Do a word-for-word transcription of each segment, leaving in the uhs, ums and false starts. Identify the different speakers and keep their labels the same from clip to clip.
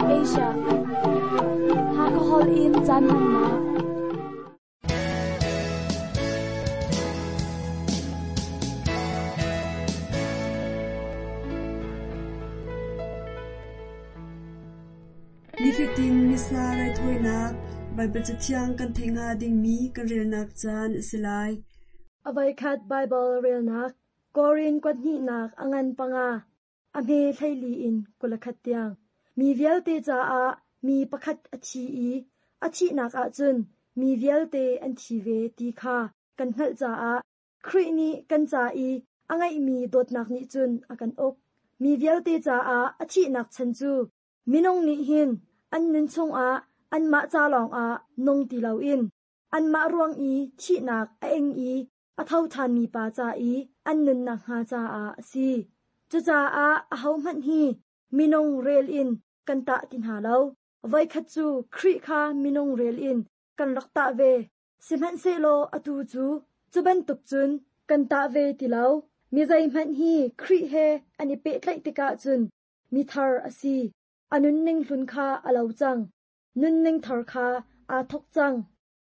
Speaker 1: Asia. Hakahol in caan hmannak.
Speaker 2: Nifatin Missa raithawinak Baibal Cathiang kan theih hnga dingmi kan relnak caan a si lai.
Speaker 3: A voikhat Baibal relnak Korin kuathnihnak a ngan panga a hme hleili in kul le khat tiang. Mi vialte caah mi pakhat a thi i a thihnak ahcun mi vialte an thi ve ti kha kan hngalh caah Khrih nih kan ca i a ngeihmi dawtnak nih cun a kan uk. Mi vialte caah a thihnak chan cu minung nih hin an nun chungah anmah ca lawngah nung ti loin anmah ruang i thihnak a ing i a tho ṭhanmi pa ca i an nunnak hnga caah a si. Cucaah ahohmanh hi minung rel in kan tah ti hna lo. Voikhat cu Khrih kha minung rel in kan rak tah ve. Sihmanhsehlaw atu cu cu bantuk cun kan tah ve ti lo. Mi zeihmanh hi Khrih he an i pehtlaih tikah cun mi thar a si. A nunning hlun kha a lo cang. Nunning thar kha aa thawk cang.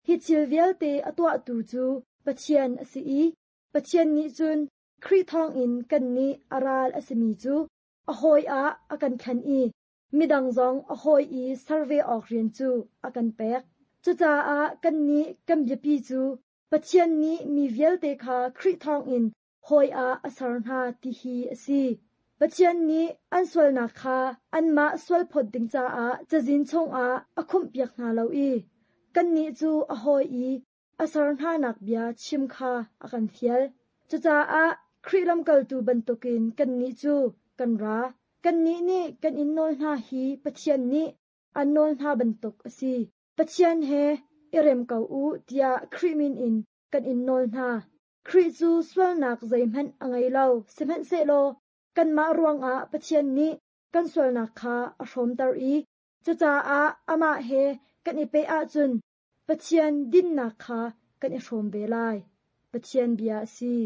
Speaker 3: Hi thil vialte a tuahtu cu Pathian a si i Pathian nih cun Khrih thawngin kannih a ral a simi cu a hawi ah a kan thlen i midang zong a hawi i ser ve awk rian cu a kan pek. Cucaah kannih kan biapi cu Pathian nih mi vialte kha Khrih thawngin hawi ah a ser hna ti hi a si. Pathian nih an sualnak kha anmah sualphawt ding caah cazin chungah a khumhpiak hna lo i kannih cu a hawi i a ser hnanak bia chim kha a kan fial. Cucaah Khrih lamkaltu bantukin kannih cu kan ra. Kannih nih kan in nawl hna hi Pathian nih an nawl hna bantuk a si. Pathian he i rem ko u tiah Khrih min in kan in nawl hna. Khrih cu sualnak zeihmanh a ngei lo, sihmanhsehlaw kanmah ruangah Pathian nih kan sualnak kha a hrawmter i cucaah amah he kan i peh ahcun Pathian dinnak kha kan i hrawm ve lai. Pathian bia a si.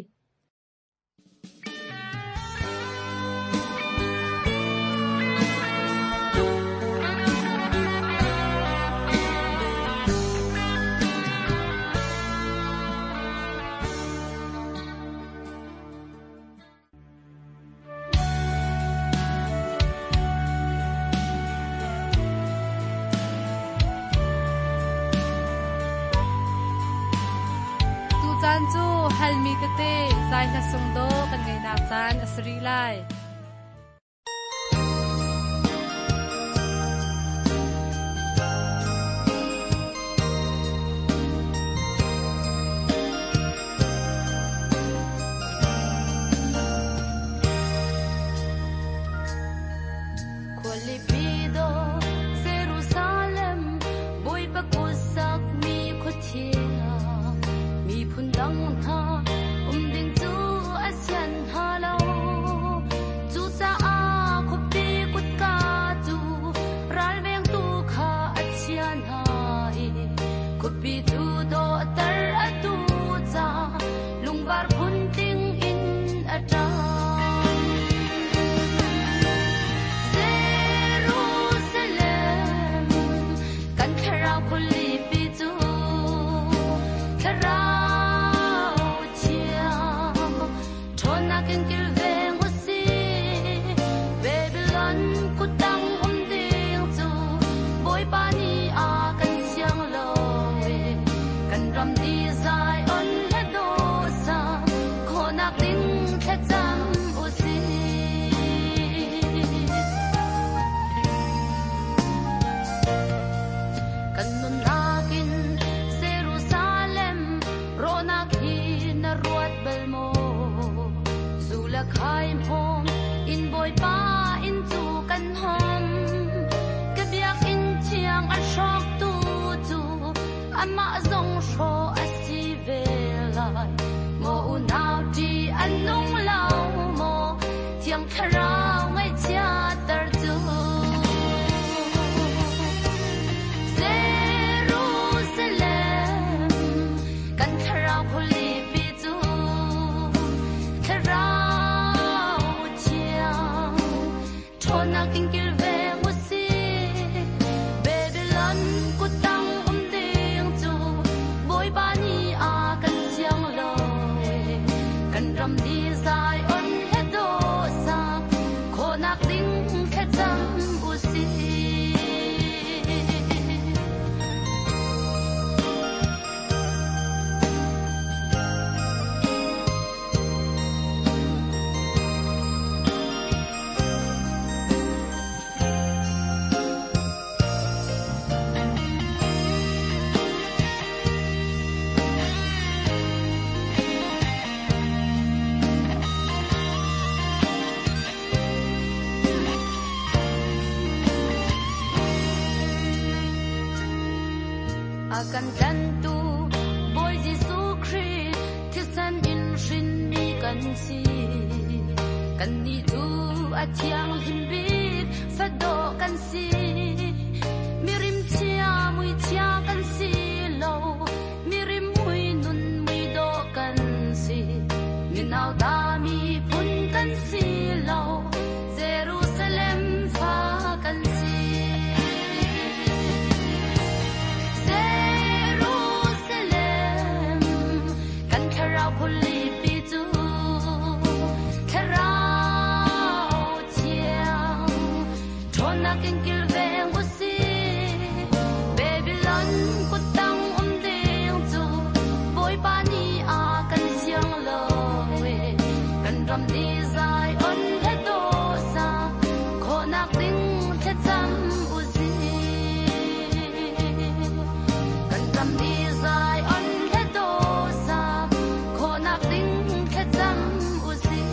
Speaker 4: Tucaan cu halmi tete zai hla sung do kan ngeinak caan a si rih lai.
Speaker 5: Khualipi dawh Jerusalem, Bawipa kut sakmi khua thiang, miphun dang hna um ding cu a sian hna lo. Cucaah khuapi kutka cu ralvengtu kha a chia hna i khuapi cu dawhter a duh caah lungvar phuntling in a ṭang. Jerusalem, kan thlarau khualipi cu thlarau thiang ṭhawnnak in kilveng u sih. Babylon kuttang um ding cu Bawipa nih a kan siang lo i kan ram ni Zion hla dawh sa khawhnak ding thlacam u sih. Kan nunnak in Jerusalem rawhnak hi na ruat bal maw? Zu le khaim hom in Bawipa inn cu kan hom. Ka biakinn thiang a hrawktu cu amah zong hrawh a si ve lai. Maw unau ṭih an nung lo maw? Thiang Thlarau ngaihchiatter cu. Jerusalem, kan thlarau khualipi cu thlarau thiang ṭhawnnak in kilveng u sih. A kan tlantu Bawi Jesuh Khrih thisen in hrinmi kan si. Kannih cu a thianghlim bik fadawh kan si. Mirim chia mui chia kan si lo. Mirim mui nun mui dawh kan si. Minau ta miphun kan si lo. Jerusalem fa kan si. Jerusalem kan thlarau khualipi cu thlarau thiang ṭhawnnak in kilveng u sih. Babylon kuttang um ding cu Bawipa nih a kan siang lo e. Kan ram nih Zion he dawh sa khawhnak ding thlacam u sih. Kan ram nih Zion he dawh sa khawhnak ding thlacam u sih.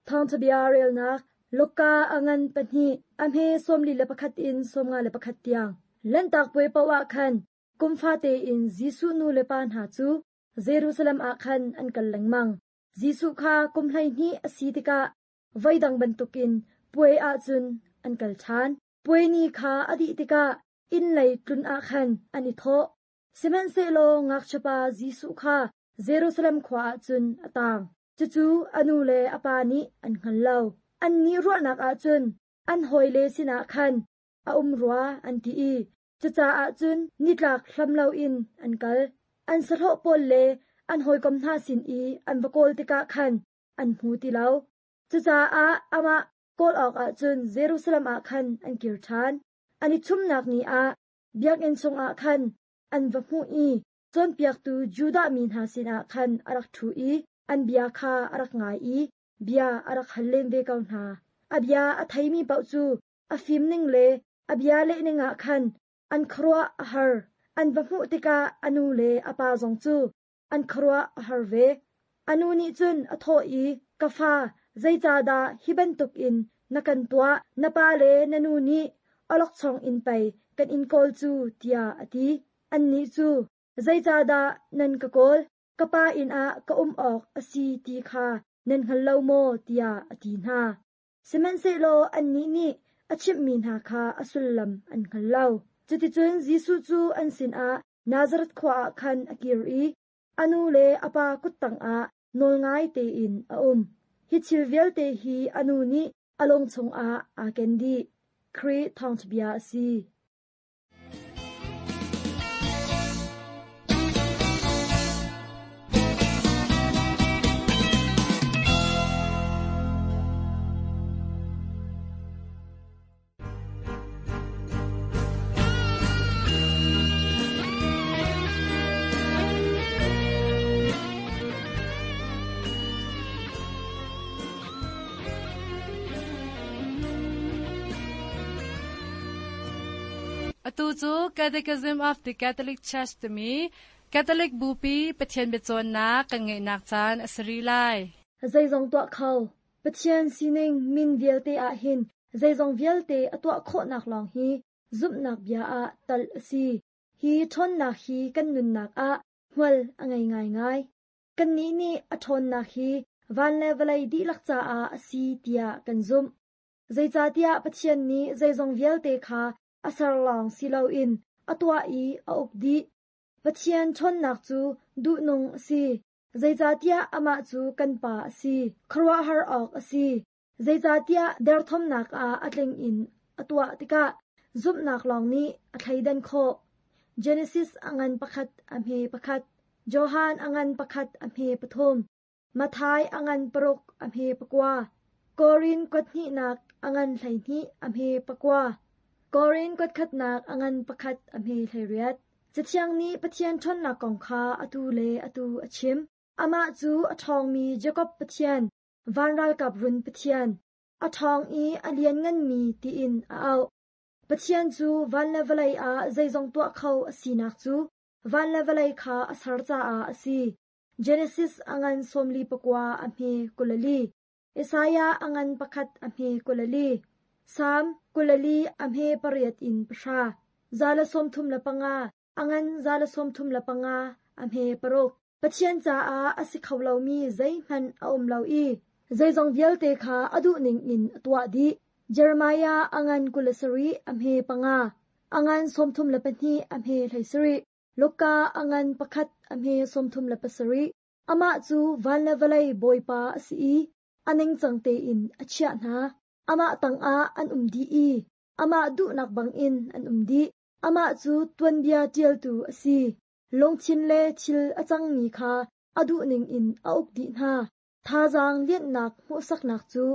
Speaker 3: Thawngṭhabia relnak Luka a ngan pahnih a hme sawmli le pakhat in sawmnga le pakhat tiang. Lanhtak puai paoh ah khan kum fate in Jesuh nu le pa hna cu Jerusalem ah khan an kal lengmang. Jesuh kha kum hleihnih a si tikah voidang bantukin puai ahcun an kal ṭhan. Puai ni kha a dih tikah inn lei tlun ah khan an i thawh. Sihmanhsehlaw ngakchiapa Jesuh kha Jerusalem khua ahcun a taang. Cucu a nu le a pa nih an hngal lo. Annih ruahnak ahcun an hawile sinah khan a um rua an ti i cucaah cun nitlak hlam loin an kal. An sahlawh pawl le an hawikom hna sin i an va kawl tikah khan an hmu ti lo. Cucaah amah kawl awkah cun Jerusalem ah khan an kir ṭhan. An i ṭhumnak ni ah biakinn chungah khan an va hmuh i cawnpiaktu Judah mi hna sinah khan a rak ṭhu i an bia kha a rak ngai i bia a rak hal len ve ko hna. A bia a theimi paoh cu a fimning le a bia lehning ah khan an khuaruah a har. An va hmuh tikah a nu le a pa zong cu an khuaruah a har ve. A nu nih cun a thawh i, Ka fa, zeicahdah hi bantukin na kan tuah? Na pa le na nu nih awlokchong in pei kan in kawl cu, tiah a ti. Annih cu, zeicahdah nan ka kawl? Ka pa inn ah ka um awk a si ti kha nan hngal lo maw, tiah a ti hna. Sihmanhsehlaw annih nih a chimhmi hna kha a sullam an hngal lo. Cuticun Jesuh cu an sinah Nazareth khua ah khan a kir i a nu le a pa kuttang ah nawlngai tein a um. Hi thil vialte hi a nu nih a lung chungah aa ken dih. Khrih thawngṭhabia a si.
Speaker 4: Atu cu Catechism of the Catholic Church timi Catholic Bupi Pathian biacawnnak kan ngeihnak caan a si rih lai.
Speaker 3: Zeizong tuah kho. Pathian sining min vialte ah hin zeizong vialte a tuah khawhnak lawng hi zumhnak bia ah tal a si. Hi ṭhawnnak hi kan nunnak ah hmual a ngei ngaingai. Kannih nih a ṭhawnnak hi van le vawlei dihlak caah a si tiah kan zumh. Zeicahtiah Pathian nih zeizong vialte kha a ser lawng si loin a tuah i a uk dih. Pathian ṭhawnnak cu duhnung a si. Zeicahtiah amah cu kan Pa a si. Khuaruahhar awk a si. Zeicahtiah derthawmnak ah a tling in a tuah tikah zumhnak lawng nih a thleidan khawh. Genesis angan pakhat a hme pakhat. Johan angan pakhat a hme pathum. Mathai angan paruk a hme pakua. Korin kuathnih angan hleihnih a hme pakua. Korin kuatkhatnak angan pakhat a hme hleiriat. Cathiang nih Pathian ṭhawnnak kong kha atu le atu a chim. Amah cu a ṭhawngmi Jakob Pathian, van ralkap run Pathian, a ṭhawng i a liannganmi tiin a auh. Pathian cu van le vawlei ah zeizong tuah kho a sinak cu van le vawlei kha a ser caah a si. Genesis angan sawmli pakua a hme kulali. Isaiah angan pakhat a hme kulali. Salm kulali a hme pariat in pahra. Zala sawmthum le panga angan zala sawmthum le panga a hme paruk. Pathian caah a si kho lomi zeihmanh a um lo i zeizong vialte kha a duh ning in a tuah dih. Jeremiah angan kulasarih a hme panga. Angan sawmthum le pahnih a hme hleisarih. Luka angan pakhat a hme sawmthum le pasarih. Amah cu van le vawlei bawipa a si i a ningcang tein a chiah hna. Amah tangah an um dih i amah duhnak bangin an um dih. Amah cu tuanbia ṭialtu a si. Lungthin le thil a cangmi kha a duhning in a uk dih hna. Thazaang lianhnak hmuhsaknak cu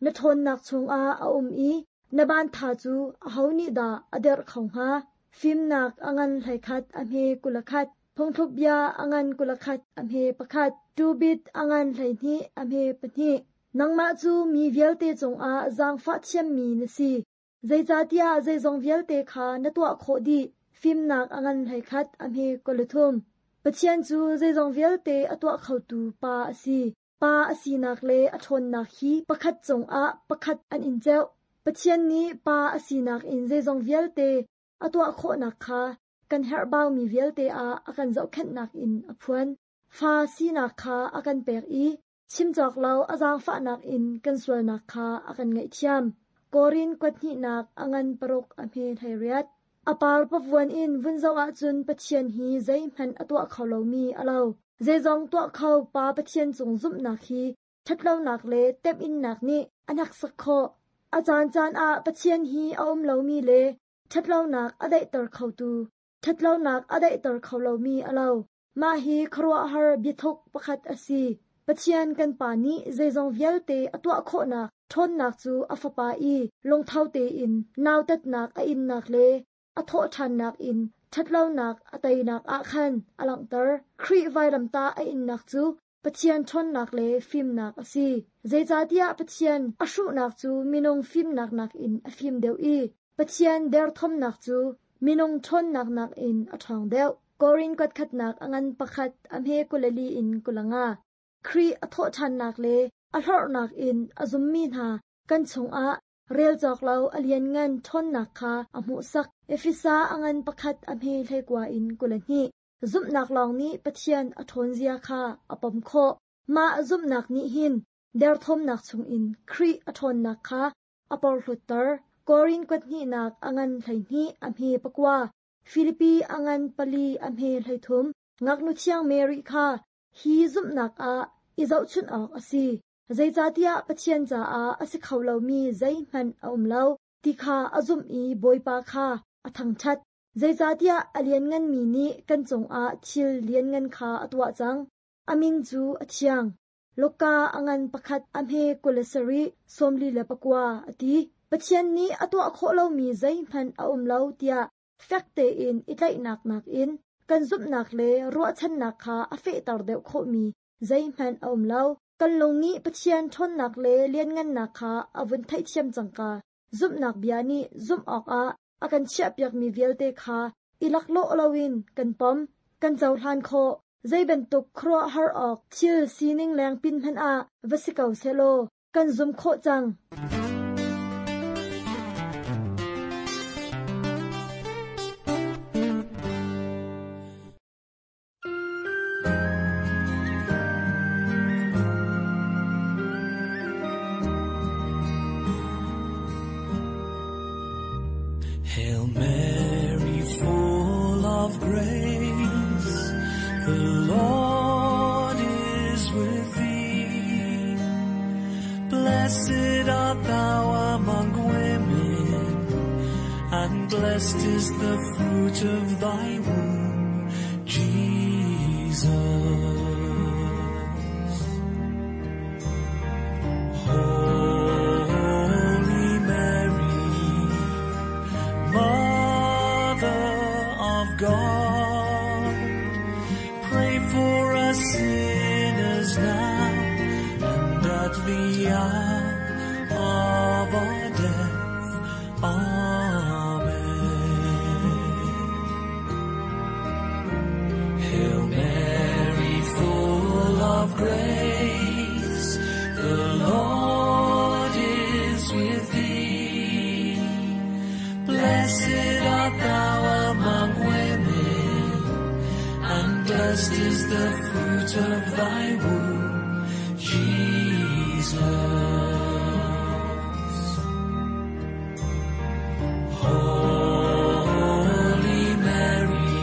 Speaker 3: na ṭhawnnak chungah a um i na ban tha cu aho nih dah a derh kho hnga? Fimnak angan hleikhat a hme kulakhat. Phungthluk bia angan kulakhat a hme pakhat. Tubit angan hleihnih a hme pahnih. Nangmah cu mi vialte cungah zaangfah thiammi na si. Zeicahtiah zeizong vialte kha na tuah khawh dih. Fimnak angan hleikhat a hme kulathum. Pathian cu zeizong vialte a tuah khotu pa a si. Pa a sinak le a ṭhawnnak hi pakhat cungah pakhat an in ceuh. Pathian nih pa a sinak in zeizong vialte a tuah khawhnak kha kan herhbaumi vialte ah a kan zohkhenhnak in a phuan. Fa sinak kha a kan pek i chimcawk lo a zaangfahnak in kan sualnak kha a kan ngaihthiam. Korin kuathnihnak angan paruk a hme hleiriat. A par pavuan in vun zoh ahcun Pathian hi zeihmanh a tuah kho lomi a lo. Zeizong tuah kho pa Pathian cung zumhnak hi ṭhatlonak le temhinnak nih a hneksak khawh. A caancaan ah Pathian hi a um lomi le ṭhatlonak a daihter khotu, ṭhatlonak a daihter kho lomi a lo. Mah hi khuaruahhar biathuk pakhat a si. Pathian kan pa nih zeizong vialte a tuah khawhnak ṭhawnnak cu a fapa i lungtho tein nautatnak a innak le a thawh ṭhannak in ṭhatlonak a teinak ah khan a langhter. Khrih vailamtah a innak cu Pathian ṭhawnnak le fimnak a si. Zeicahtiah Pathian a hruhnak cu minung fimnak nakin a fim deuh i Pathian derthawmnak cu minung ṭhawnnak nakin a ṭhawng deuh. Korin kuatkhatnak angan pakhat a hme kulali in kulanga. Khrih a thawh ṭhannak le a hlorhnak in a zummi hna kan chungah rel cawk lo a lianngan ṭhawnnak kha a hmuhsak. Efesa angan pakhat a hme hleikua in kulahnih. Zumhnak lawng nih Pathian a ṭhawnzia kha a pom khawh. Mah zumhnak nih hin derthawmnak chungin Khrih a ṭhawnnak kha a porhlutter. Korin kuathnihnak angan hleihnih a hme pakua. Filipi angan pali a hme hleithum. Ngaknu thiang Mary kha hi zumhnak ah i zohchunh awk a si. Zeicahtiah Pathian caah a si kho lomi zeihmanh a um lo ti kha a zumh i Bawipa kha a thangṭhat. Zeicahtiah a liannganmi nih kan cungah thil lianngan kha a tuah cang. A min cu a thiang. Luka angan pakhat a hme kulasarih sawmli le pakua a ti. Pathian nih a tuah khawh lomi zeihmanh a um lo tiah fek tein i tlaihnak nakin kan zumhnak le ruahchannak kha a fehter deuh khawhmi zeihmanh a um lo. Kan lung nih Pathian ṭhawnnak le lianngannak kha a vun theihthiam cangka. Zumhnak bia nih zumh awkah a kan chiahpiakmi vialte kha i laklawh loin kan pom, kan cohlan khawh. Zei bantuk khuaruahhar awk thil sining lengpin hmanh ah va si ko sehlaw kan zum khawh cang.
Speaker 6: Hail Mary, full of grace, the Lord is with thee. Blessed art thou among women, and blessed is the fruit of thy womb, Jesus. Holy Mary, Mother of God, pray for us sinners now and at the hour of our death. Amen. Hail Mary, full of grace, the Lord is with thee. Blessed art thou among women, and blessed is the fruit of thy womb, Jesus. Holy Mary,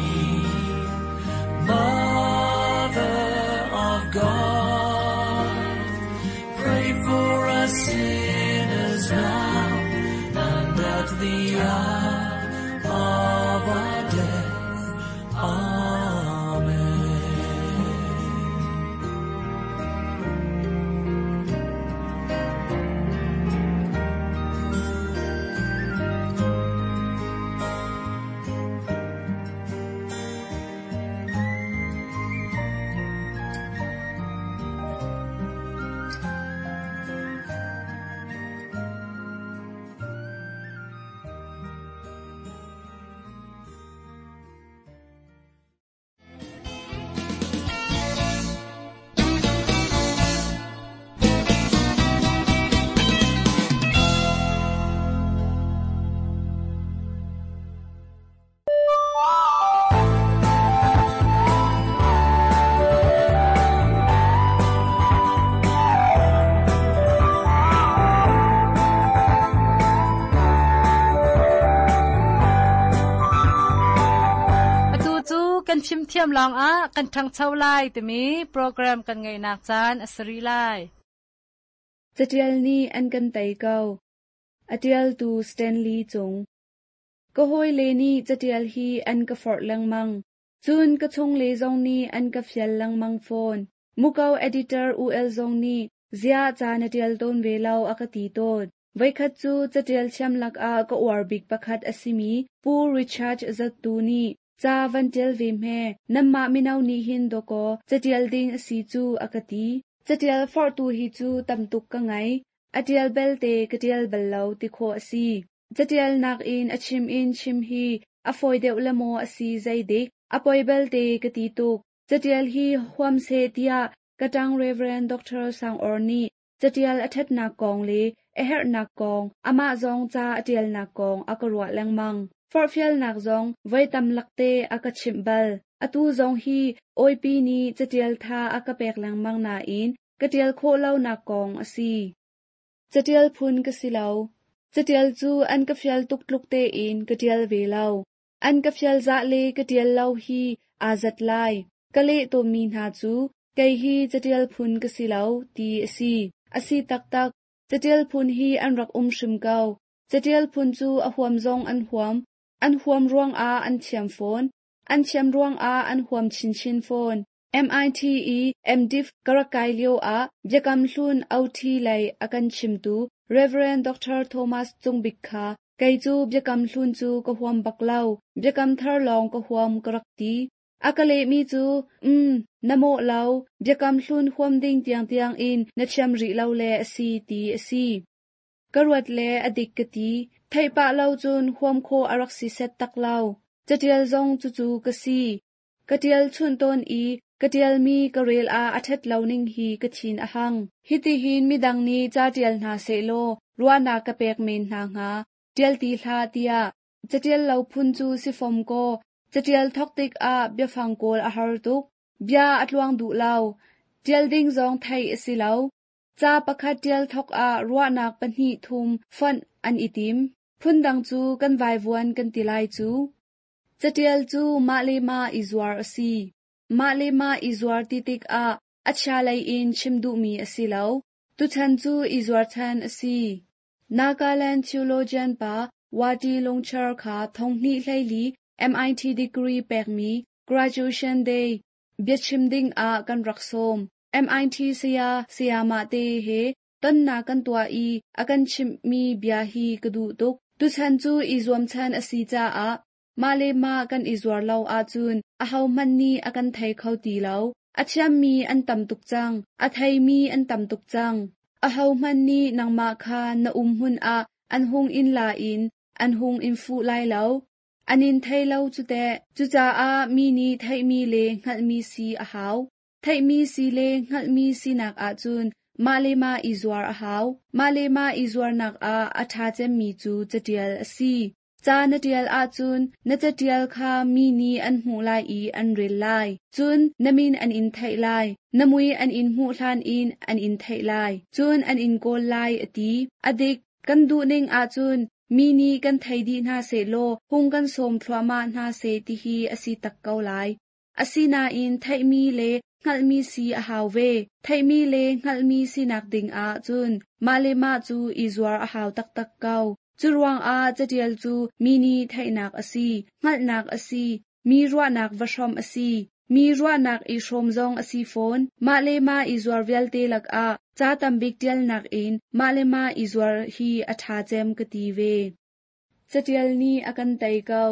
Speaker 6: Mother of God, pray for us sinners now and at the hour of our death. Amen.
Speaker 4: Atu cu kan fimthiam lawngah kan ṭhangcho lai timi program kan ngeihnak caan a si rih lai.
Speaker 7: Catial nih an kan tei ko. A ṭialtu Stanley Cung. Ka hawile nih catial hi an ka forh lengmang. Cun ka chungle zong nih an ka fial lengmang fawn. Muko editor U L zong nih ziah ca na ṭial tawn ve lo a ka ti tawn. Voikhat cu catial thiam lakah ka uar bik pakhat a simi Pu Richard Zattu nih ca van ṭial ve hme, nanmah mino nih hin dawkaw catial ding a si cu a ka ti. Catial forhtu hi cu tam tuk ka ngei. A ṭial belte ka ṭial bal lo ti khawh a si. Catial nakin a chim in chim hi a fawi deuh le maw a si zeidik, a poi belte ka ti tuk. Catial hi huam seh tiah ka ṭang Reverend Doctor Sang Awr nih catial a ṭhatnak kong le a herhnak kong, amah zong ca a ṭialnak kong a ka ruah lengmang. Forhfialnak zong voi tam lakte a ka chimh bal. Atu zong hi awipi nih catial tha a ka pek lengmang nain ka ṭial khawh lonak kong a si. Catial phun ka si lo. Catial cu an ka fial tuk tluk tein ka ṭial ve lo. An ka fial zah le ka ṭial lo hi aa zat lai. Ka leh tawnmi hna cu kei hi catial phun ka si lo ti a si. A si taktak. Catial phun hi an rak um hrim ko. Catial phun cu a huam zong an huam. An huam ruangah an thiam fawn. An thiam ruangah an huam chinchin fawn. M I T i M Div ka rak kai lio ah Biakam Hlun O T lei a kan chimtu Reverend Doctor Thomas Cungbik kha kei cu Biakam Hlun cu ka huam bak lo, Biakam Thar lawng ka huam ka rak ti. A ka lehmi cu, um, na mawh lo, Biakam Hlun huam ding tiangtiang in na thiam rih lo le a si ti a si. Ka ruat le a dik ka ti, theih pah lo cun huam khawh a rak si set tak lo. Catial zong cucu ka si. Ka ṭial chunh tawn i ka ṭialmi ka rel ah a ṭhat lo ning hi ka thin a hang. Hitihin midang nih ca ṭial hna sehlaw ruahnak ka pek men hna hnga, ṭial ti hlah tiah. Catial lo phun cu si fom kaw, catial thawk tikah biafang kawl a har tuk. Bia a tluang duh lo. Ṭial ding zong theih a si lo. Ca pakhat ṭial thawk ah ruahnak pahnih thum fonh an i tim. Phundang cu kan vaivuan kan ti lai cu. Catial cu mah le mah i zuar a si. Mah le mah i zuar ti tikah a chia lei in chim duhmi a si lo. Tuchan cu i zuar chan a si. Nagaland theologian pa Wati Longchar kha thonghni hleili M I T degree pekmi Graduation Day biachim ding ah kan rak sawm. M I T saya sayama te he tonna kan tua i akan chimmi bia hi ka duh tuk. Tuchan cu i zuam chan a si caah mah le mah kan i zuar lo ahcun ahohmanh nih a kan thei kho ti lo. A thiammi an tam tuk cang, a theimi an tam tuk cang. Ahohmanh nih nangmah kha na um hmun ah an hung in la in an hung in fuh lai lo. An in thei lo cu teh. Cucaah mi nih theihmi le hngalhmi si a hau. Theihmi si le hngalhmi sinak ahcun mah le mah i zuar a hau. Mah le mah i zuarnak ah a ṭha cemmi cu catial a si. Ca na ṭial ahcun na catial kha mi nih an hmuh lai i an rel lai. Cun na min an in theih lai. Na mui an in hmuh hlan in an in theih lai. Cun an in kawl lai a ti. A dik, kan duhning ahcun mi nih kan thei dih hna sehlaw hung kan sawm thluahmah hna seh tihi a si tak ko lai. Asinain theihmi le hngalhmi si a hau ve. Theihmi le hngalhmi sinak ding ahcun mah le mah cu i zuar a hau taktak ko. Cu ruangah catial cu mi nih theihnak a si, hngalhnak a si, mi ruahnak va hrawm a si, mi ruahnak i hrawm zong a si fawn. Mah le mah i zuar vialte lakah ca tambik ṭialnak in mah le mah i zuar hi a ṭha cem ka ti ve. Catial nih a kan tei ko.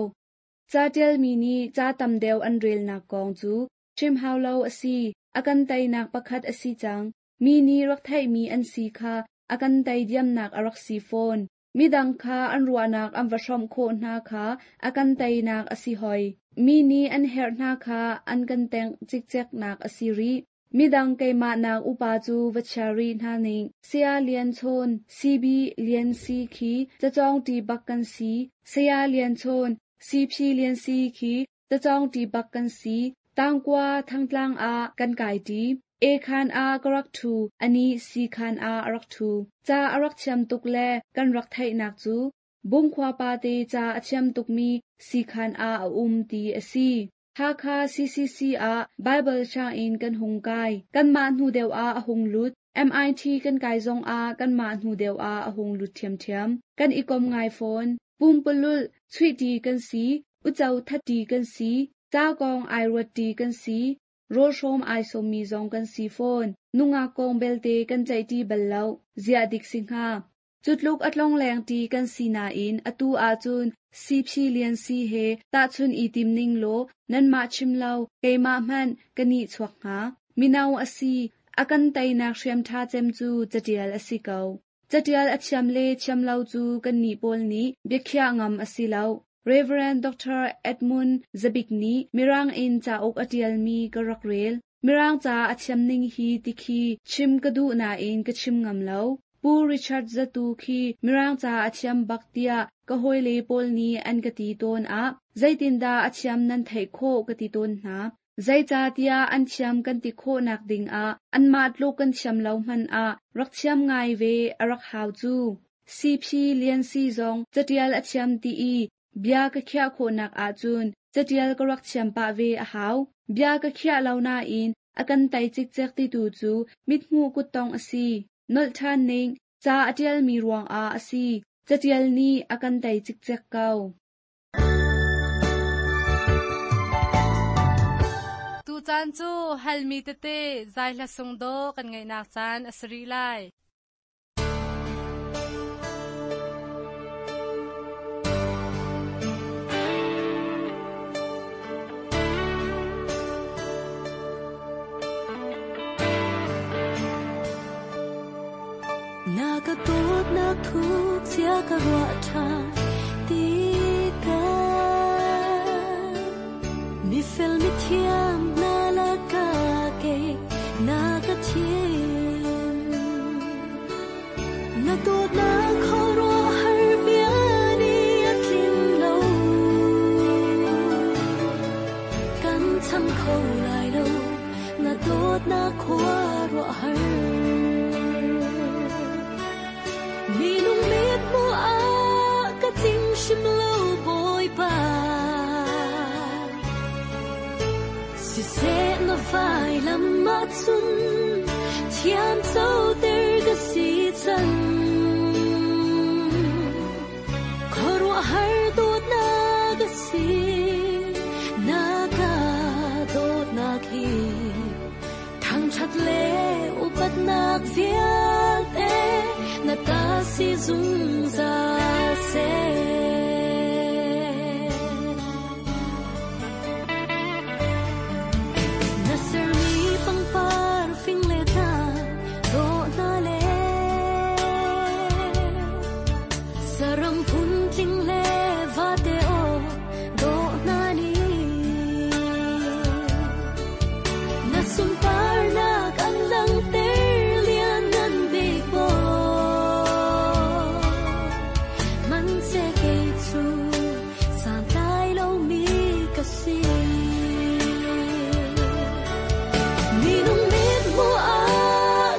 Speaker 7: Ca ṭialmi nih ca tam deuh an relnak kong cu chim hau lo a si. A kan teinak pakhat a si cang. Mi nih rak theihmi an si kha a kan tei diamnak a rak si fawn. Midang kha an ruahnak an va hrawmh khawh hna kha a kan teinak a si hoi. Mi nih an herh hna kha an kan tengh cikceknak a si rih. Midang keimah nak upa cu va chia rih hna ning. Saya Lian Chawn, C B Lian Si khi cacawng ṭi bak kan si. Saya Lian Chawn, C P Lian Si khi cacawng ṭi bak kan si. Tangkua thangtlang ah kan kai ṭi. A khan ah ka rak ṭhu, ani C khan ah a rak ṭhu. Ca a rak thiam tuk le kan rak theihnak cu Bungkhua pa te ca a thiam tukmi C khan ah a um ti a si. Hakha C C C ah Bible sianginn kan hung kai. Kanmah hnu deuh ah a hung lut. M I T kan kai zong ah kanmah hnu deuh ah a hung lut ṭhiamṭhiam. Kan i kom ngai fawn. Pumpululh chuihṭi kan si, uco thatṭi kan si, ca kong ai ruatṭi kan si, rawlhrawm ai sawmmi zong kan si fawn. Nungak kong belte kan ceihṭi bal lo, ziah dik si hnga. Cutluk a tlongleng ṭi kan si nain atu ahcun C P Lian Si he tahchun i tim ning law nanmah chim lo keimah hmanh ka nih chuak hnga. Mino a si, a kan teinak hriam ṭha cem cu catial a si ko. Catial a thiam le thiam lo cu kannih pawl nih biakhiah ngam a si lo. Reverend Doctor Edmund Zabik nih Mirang in cauk a ṭialmi ka rak rel. Mirang ca a thiam ning hi tikhi chim ka duh nain ka chim ngam lo. Pu Richard Zatu khi Mirang ca a thiam bak tiah ka hawile pawl nih an ka ti tawn ah zeitindah a thiam nan theih khawh ka ti tawn hna. Zeicahtiah an thiam kan ti khawhnak dingah anmah tluk kan thiam lo hmanh ah rak thiam ngai ve a rak hau cu. C P Lian Si zong catial a thiam ti i bia ka khiah khawhnak ahcun catial ka rak thiam pah ve a hau. Bia ka khiah lo nain a kan tei cikcek titu cu mithmuh kuttong a si. Nolh ṭhan ning, ca a ṭialmi ruangah a si. Catial nih a kan tei cikcek ko.
Speaker 4: Tucaan cu halmi tete zai hla sung dawh kan ngaihnak caan a si rih lai.
Speaker 5: Na ka dawtnak thuk chia ka ruah ṭha ti ka. Mi fel mi thiam na la ka ke na ka thim. Na dawtnak khuaruah har bia ni a tlin lo. Kan cham kho lai lo, na dawtnak khuaruah har. Minung mit mu a ka tling hrim lo Bawipa. Siseh na vai lam ahcun thiam coter ka si cang. Khuaruah si na ka dawt nak hi thang that le upat nak vialte na ta si zungzal se na ser mi pangpar fing le ta do na le saram phun tling le va te o do na ni na sum par na kan lang ter lian nan big bo man se ke chu san tai lo mi ka si mi nung mit mu a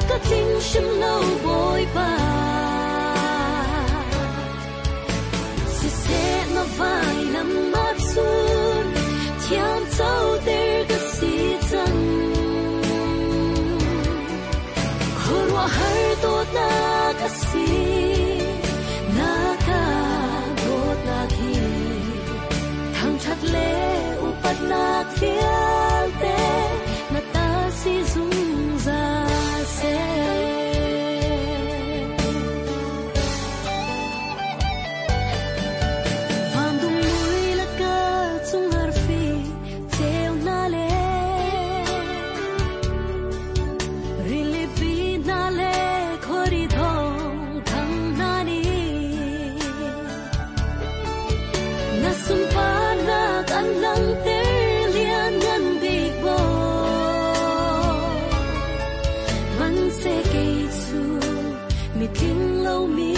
Speaker 5: ka ting shim lo boy pa si se na vai lam ma chun thiam chau ter ka si chang khorwa har to na ka si na ka dot na khi thang that le upat nak vialte na ta si zungzal se Van dum mui la ka chung har fi cheu na le rili pi na le khori thong thang na ni na sum pa na kan lang ter lian ngan big bo man se ke chu mi tling lo mi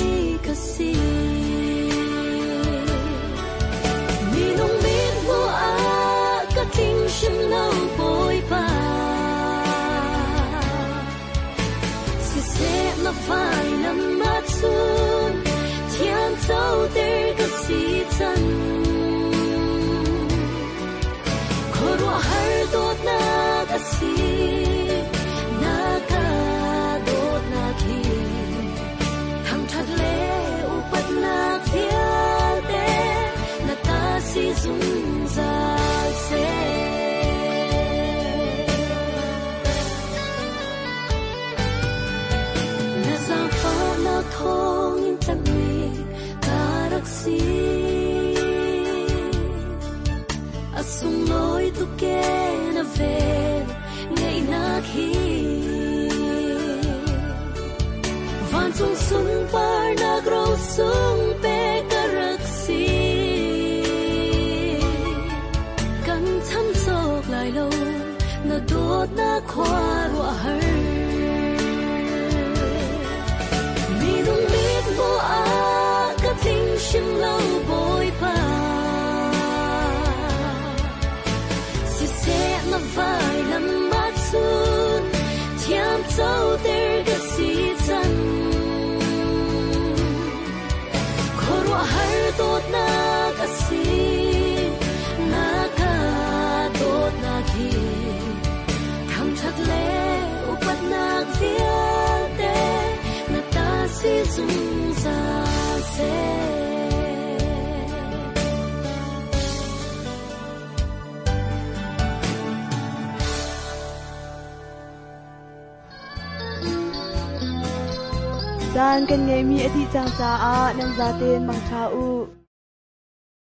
Speaker 5: ka si mi nung mit mu a ka ting shim lo boy pa si se na vai lam ma chun thiam chau ter ka si chan khorwa har dot na ka si na ka dot na khi thang that le upat na vialte na ta si zungzal se na zang fa na thong in tlat mi karak si asung loi tu ke na vel ngai na khi van chung sun par na gro sung pe karak si kan cham chok lai lo na dot na khwa ro har mi nung mit mo a ka ting shim lo boy pa si se na vai lam ma chun thiam chau ter ka si chan khorwa har dot na ka si na ka dot na khi thang that le upat nak vialte na ta si zungzal se
Speaker 2: Caan kan ngeimi a dih cang caah nan zaten mangṭha u.